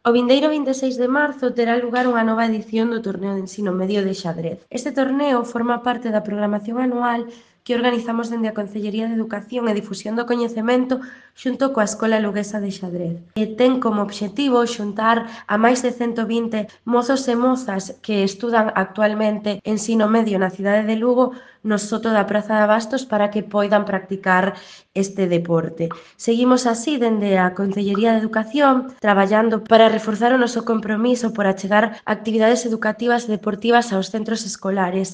O vindeiro 26 de marzo terá lugar unha nova edición do Torneo de Ensino Medio de Xadrez. Este torneo forma parte da programación anual que organizamos dende a Concellería de Educación e Difusión do Coñecemento xunto coa Escola Luguesa de Xadrez. E ten como obxectivo xuntar a máis de 120 mozos e mozas que estudan actualmente ensino medio na cidade de Lugo no soto da Praza de Abastos para que poidan practicar este deporte. Seguimos así dende a Concellería de Educación traballando para reforzar o noso compromiso por achegar actividades educativas e deportivas aos centros escolares